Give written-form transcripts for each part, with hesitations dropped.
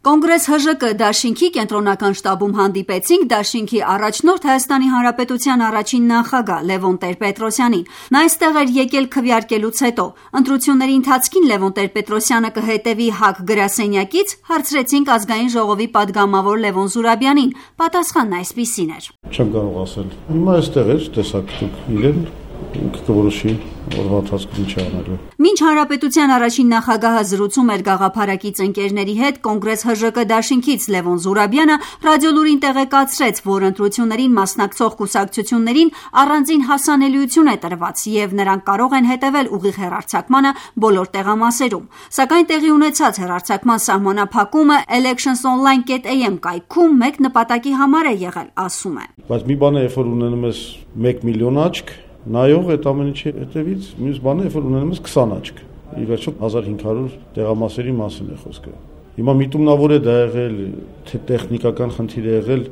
Կոնգրես ՀԺԿ դաշինքի կենտրոնական շտաբում հանդիպեցինք դաշինքի առաջնորդ Հայաստանի Հանրապետության առաջին նախագահ Լևոն Տեր-Պետրոսյանին։ Նա այստեղ էր եկել քվեարկելուց հետո։ Ընտրությունների ընթացքին Լևոն Տեր-Պետրոսյանը կհետևի ՀԱԿ գրասենյակից, հարցրեցինք Ազգային ժողովի падգամավոր Լևոն Զուրաբյանին։ Պատասխանն այսպիսին էր. Չեմ կարող ասել։ Հիմա այստեղ էր, տեսակ դուք իրեն կորոշի օրվա ընթացքում ինչ անելու։ Մինչ Հանրապետության առաջին նախագահը զրուցում էր գաղափարակից ընկերների հետ, Կոնգրես ՀԺԿ դաշինքից Լևոն Զուրաբյանը ռադիոլուրին տեղեկացրեց, որ ընտրություններին մասնակցող կուսակցություններին առանձին հասանելիություն է տրված եւ նրանք կարող են հետեւել ուղիղ հեռարձակմանը բոլոր տեղամասերում։ Սակայն տեղի ունեցած հեռարձակման սահմանափակումը electionsonline.am կայքում մեկ նպատակի համար է եղել, ասում է։ Բայց մի բան է, երբ որ ունենում ես 1 միլիոն աչք նայող այդ ամեն ինչի հետևից, մյուս բանը երբ որ ունենում ես 20 աչք։ Ի վերջո 1500 տեղամասերի մասին է խոսքը։ Հիմա միտումնավոր է դա եղել, թե տեխնիկական խնդիր է եղել,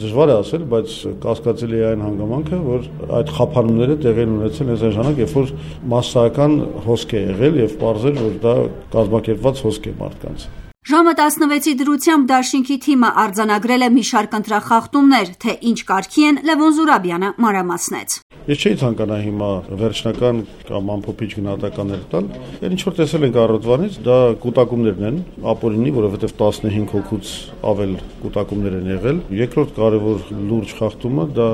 դժվար է ասել, բայց կասկածելի է այն հանգամանքը, որ այդ խափանումները տեղի են ունեցել այս ժամանակ, երբ որ մասսայական հոսք է եղել եւ պարզել, որ դա կազմակերպված հոսք է մարդկանց։ Ժամը 16-ի դրությամբ դաշինքի թիմը արձանագրել է մի շարք ընտրախախտումներ, թե ինչ կարգի են, Լևոն Զուրաբյանը մանրամասնեց։ Ես չէի ցանկանա հիմա վերջնական կամ ամփոփիչ գնահատականներ տալ։ Ինչ որ տեսել ենք առավոտվանից, դա կուտակումներն են, ապօրինի, որովհետև 15 հոգուց ավել կուտակումներ են եղել։ Երկրորդ կարևոր լուրջ խախտումը դա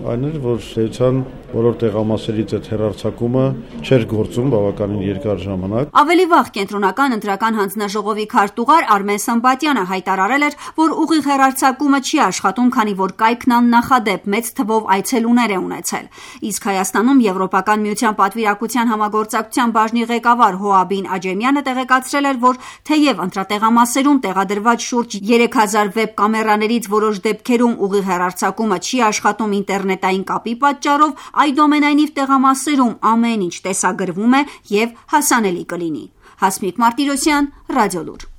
այն էր, որ դեպության բոլոր տեղամասերից այդ հեռարձակումը չէր գործում բավականին երկար ժամանակ։ Ավելի վաղ կենտրոնական ընտրական հանձնաժողովի քարտուղար Արմեն Սմբատյանը հայտարարել էր, որ ուղիղ հեռարձակումը չի աշխատում, քանի որ կայքն աննախադեպ մեծ թվով այցելուներ է ունեցել։ Իսկ Հայաստանում Եվրոպական միության պատվիրակության համագործակցության բաժնի ղեկավար Հոաբին Աջեմյանը տեղեկացրել էր, որ թեև ընտրատեղամասերում տեղադրված շուրջ 3000 վեբ կամերաներից որոշ դեպքերում ուղիղ հեռարձակումը չի աշխատում ինտերնետային կապի պատճառով, այդուամենայնիվ տեղամասերում ամեն ինչ տեսագրվում է եւ հասանելի կլինի։ Հասմիկ Մարտիրոսյան, Ռադիոլուր։